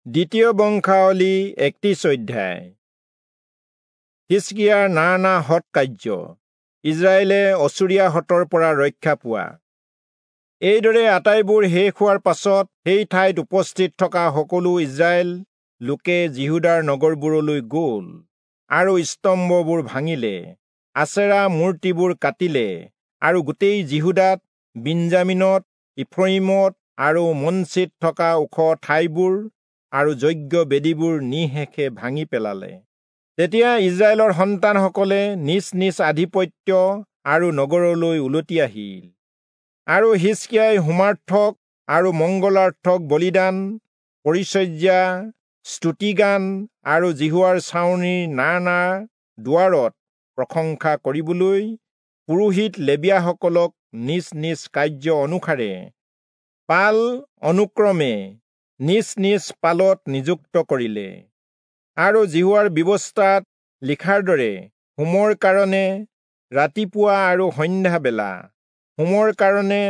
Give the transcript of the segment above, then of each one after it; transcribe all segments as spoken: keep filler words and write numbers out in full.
দ্বিতীয় বংশাৱলী একত্ৰিশ অধ্যায়। হিষ্কিয়াৰ নানা সৎ কাৰ্য, ইস্ৰায়েলে অচুৰীয়াহঁতৰ পৰা ৰক্ষা পোৱা। এইদৰে আটাইবোৰ শেষ হোৱাৰ পাছত সেই ঠাইত উপস্থিত থকা সকলো ইস্ৰায়েল লোকে যিহূদাৰ নগৰবোৰলৈ গ'ল আৰু স্তম্ভবোৰ ভাঙিলে, আচেৰা মূৰ্তিবোৰ কাটিলে আৰু গোটেই যিহূদাত, বিন্যামীনত, ইফ্ৰয়িমত আৰু মনচিত থকা ওখ ঠাইবোৰ আৰু যজ্ঞ বেদীবোৰ নিঃশেষে ভাঙি পেলালে। তেতিয়া ইস্ৰায়েলৰ সন্তানসকলে নিজ নিজ আধিপত্য আৰু নগৰলৈ উলটি আহিল। আৰু হিষ্কিয়াই হোমাৰ্থক আৰু মংগলাৰ্থক বলিদান, পৰিচৰ্যা, স্তুতিগান আৰু যিহোৱাৰ ছাউনিৰ নানা দুৱাৰত প্ৰশংসা কৰিবলৈ পুৰোহিত লেবীয়াসকলক নিজ নিজ কাৰ্য অনুসাৰে পাল অনুক্ৰমে নিজ নিজ পালত নিযুক্ত কৰিলে। আৰু যিহোৱাৰ ব্যৱস্থাত লিখাৰ দৰে হোমৰ কাৰণে ৰাতিপুৱা আৰু সন্ধ্যাবেলা, হোমৰ কাৰণে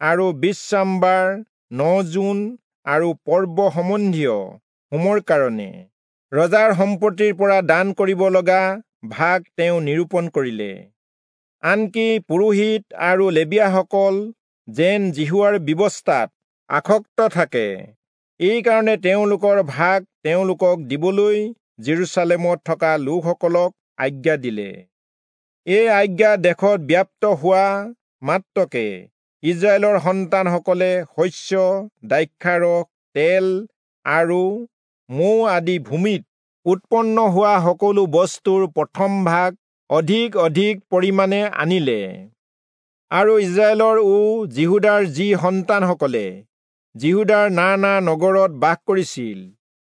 আৰু বিশ্ৰামবাৰ, ন-জোন আৰু পৰ্ব সম্বন্ধীয় হোমৰ কাৰণে ৰজাৰ সম্পত্তিৰ পৰা দান কৰিব লগা ভাগ তেওঁ নিৰূপণ কৰিলে। আনকি পুৰোহিত আৰু লেবীয়াসকল যেন যিহোৱাৰ ব্যৱস্থাত আসক্ত থাকে, এইকাৰণে তেওঁলোকৰ ভাগ তেওঁলোকক দিবলৈ যিৰূচালেমত থকা লোকসকলক আজ্ঞা দিলে। এই আজ্ঞা দেশত ব্যাপ্ত হোৱা মাত্ৰকে ইস্ৰায়েলৰ সন্তানসকলে শস্য, দ্ৰাক্ষাৰস, তেল আৰু মৌ আদি ভূমিত উৎপন্ন হোৱা সকলো বস্তুৰ প্ৰথম ভাগ অধিক অধিক পৰিমাণে আনিলে। আৰু ইস্ৰায়েলৰ ও যিহূদাৰ যি সন্তানসকলে যিহূদাৰ নানা নগৰত বাস কৰিছিল,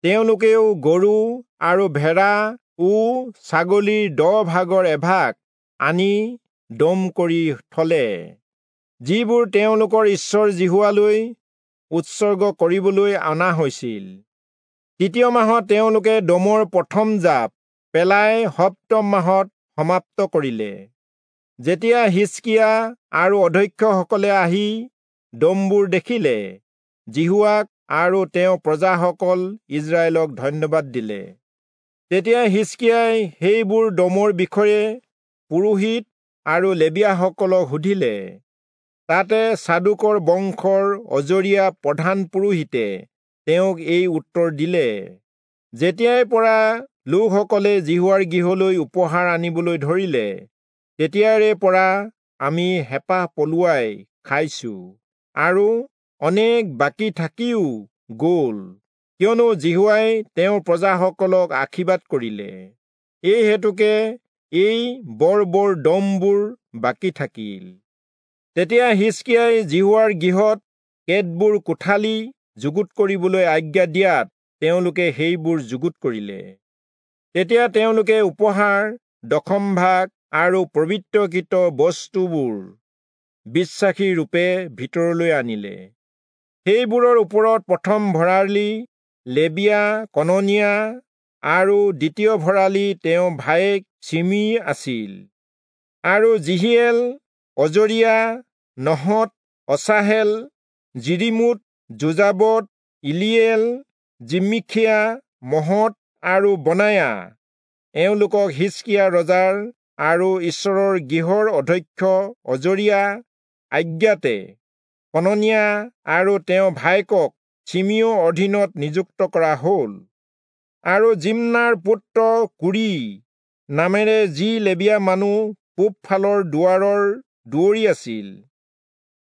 তেওঁলোকেও গৰু আৰু ভেড়া ও ছাগলীৰ দহ ভাগৰ এভাগ আনি দম কৰি থলে, যিবোৰ তেওঁলোকৰ ঈশ্বৰ যিহোৱালৈ উৎসৰ্গ কৰিবলৈ অনা হৈছিল। তৃতীয় মাহত তেওঁলোকে দমৰ প্ৰথম জাপ পেলাই সপ্তম মাহত সমাপ্ত কৰিলে। যেতিয়া হিষ্কিয়া আৰু অধ্যক্ষসকলে আহি দমবোৰ দেখিলে, যিহোৱাক আৰু তেওঁ প্ৰজাসকল ইস্ৰায়েলক ধন্যবাদ দিলে। তেতিয়া হিষ্কিয়াই সেইবোৰ দমৰ বিষয়ে পুৰোহিত আৰু লেবীয়াসকলক সুধিলে। তাতে চাদোকৰ বংশৰ অজৰীয়া প্ৰধান পুৰোহিতে তেওঁক এই উত্তৰ দিলে, যেতিয়াৰ পৰা লোকসকলে যিহোৱাৰ গৃহলৈ উপহাৰ আনিবলৈ ধৰিলে, তেতিয়াৰে পৰা আমি হেঁপাহ পলুৱাই খাইছো আৰু অনেক বাকী থাকিও গ'ল, কিয়নো যিহোৱাই তেওঁৰ প্ৰজাসকলক আশীৰ্বাদ কৰিলে। এই হেতুকে এই বৰ বৰ দমবোৰ বাকী থাকিল। তেতিয়া হিষ্কিয়াই যিহোৱাৰ গৃহত কেতবোৰ কোঠালি যুগুত কৰিবলৈ আজ্ঞা দিয়াত তেওঁলোকে সেইবোৰ যুগুত কৰিলে। তেতিয়া তেওঁলোকে উপহাৰ, দশম ভাগ আৰু পবিত্ৰকৃত বস্তুবোৰ বিশ্বাসী ৰূপে ভিতৰলৈ আনিলে। সেইবোৰৰ ওপৰত প্ৰথম ভঁৰালী লেবীয়া কননীয়া আৰু দ্বিতীয় ভঁৰালী তেওঁ ভায়েক চিমি আছিল। আৰু যিহিয়েল, অজৰীয়া, নহত, অচাহেল, যিৰিমোত, যোজাবদ, ইলিয়েল, জিমিখিয়া, মহৎ আৰু বনায়া এওঁলোকক হিষ্কিয়া ৰজাৰ আৰু ঈশ্বৰৰ গৃহৰ অধ্যক্ষ অজৰীয়া আজ্ঞাতে কননীয়া আৰু তেওঁ ভায়েকক চিমিও অধীনত নিযুক্ত কৰা হ'ল। আৰু জিম্নাৰ পুত্ৰ কুৰি নামেৰে যি লেবীয়া মানুহ পূবফালৰ দুৱাৰৰ দুৱৰী আছিল,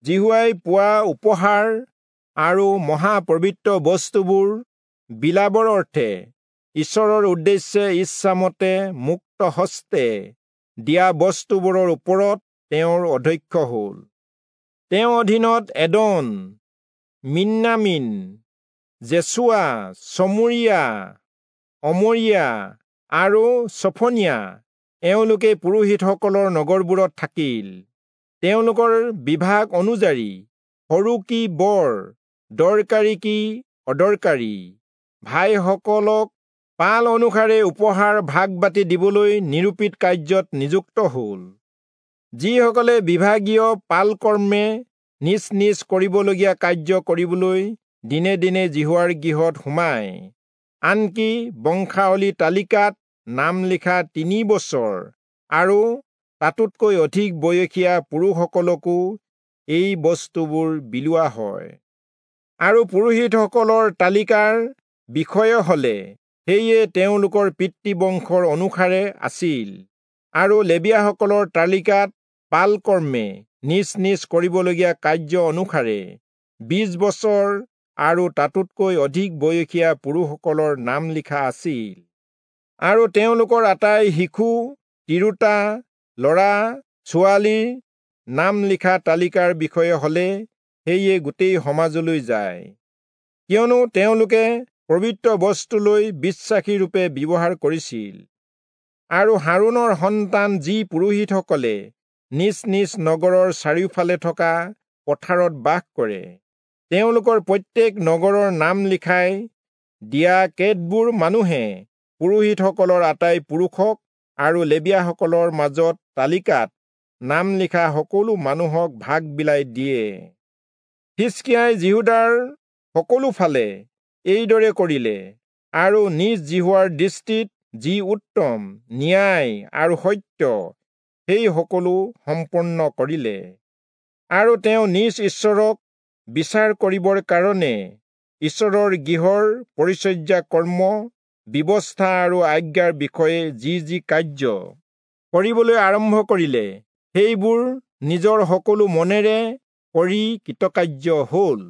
যিহোৱাই পোৱা উপহাৰ আৰু মহাপবিত্ৰ বস্তুবোৰ বিলাবৰ অৰ্থে ঈশ্বৰৰ উদ্দেশ্যে ইচ্ছামতে মুক্ত হস্তে দিয়া বস্তুবোৰৰ ওপৰত তেওঁৰ অধ্যক্ষ হ'ল। তেওঁৰ অধীনত এদন, মিন্যামীন, যেচুৱা, চমৰীয়া, অমৰীয়া আৰু চফনীয়া এওঁলোকে পুৰোহিতসকলৰ নগৰবোৰত থাকিল। তেওঁলোকৰ বিভাগ অনুযায়ী সৰু কি বৰ, দৰকাৰী কি অদৰকাৰী ভাইসকলক পাল অনুসাৰে উপহাৰ ভাগ বাটি দিবলৈ নিৰূপিত কাৰ্যত নিযুক্ত হ'ল। যিসকলে বিভাগীয় পালকৰ্মে নিজ নিজ কৰিবলগীয়া কাৰ্য কৰিবলৈ দিনে দিনে যিহোৱাৰ গৃহত সোমায়। আনকি বংশাৱলী তালিকাত নাম লিখা তিনি বছৰ আৰু তাতোতকৈ অধিক বয়সীয়া পুৰুষসকলকো এই বস্তুবোৰ বিলোৱা হয়। আৰু পুৰোহিতসকলৰ তালিকাৰ বিষয়ে হলে সেয়ে তেওঁলোকৰ পিতৃবংশৰ অনুসাৰে আছিল, আৰু লেবীয়াসকলৰ তালিকাত পালকৰ্মে নিজ নিজ কৰিবলগীয়া কাৰ্য অনুসাৰে বিশ বছৰ আৰু তাতোতকৈ অধিক বয়সীয়া পুৰুষসকলৰ নাম লিখা আছিল। আৰু তেওঁলোকৰ আটাই শিশু, তিৰোতা, ল'ৰা ছোৱালীৰ নাম লিখা তালিকাৰ বিষয়ে হলে সেয়ে গোটেই সমাজলৈ যায়, কিয়নো তেওঁলোকে পবিত্ৰ বস্তুলৈ বিশ্বাসীৰূপে ব্যৱহাৰ কৰিছিল। আৰু হাৰোণৰ সন্তান যি পুৰোহিতসকলে নিজ নিজ নগৰৰ চাৰিওফালে থকা পথাৰত বাস কৰে, তেওঁলোকৰ প্ৰত্যেক নগৰৰ নাম লিখাই দিয়া কেতবোৰ মানুহে পুৰোহিতসকলৰ আটাই পুৰুষক আৰু লেবীয়াসকলৰ মাজত তালিকাত নাম লিখা সকলো মানুহক ভাগ বিলাই দিয়ে। হিষ্কিয়াই যিহূদাৰ সকলো ফালে এইদৰে কৰিলে, আৰু নিজ যিহোৱাৰ দৃষ্টিত যি উত্তম, ন্যায় আৰু সত্য সেই সকলো সম্পন্ন কৰিলে। আৰু তেওঁ নিজ ঈশ্বৰক বিচাৰ কৰিবৰ কাৰণে ঈশ্বৰৰ গৃহৰ পৰিচৰ্যা কৰ্ম, ব্যৱস্থা আৰু আজ্ঞাৰ বিষয়ে যি যি কাৰ্য কৰিবলৈ আৰম্ভ কৰিলে, সেইবোৰ নিজৰ সকলো মনেৰে কৰি কৃতকাৰ্য হল।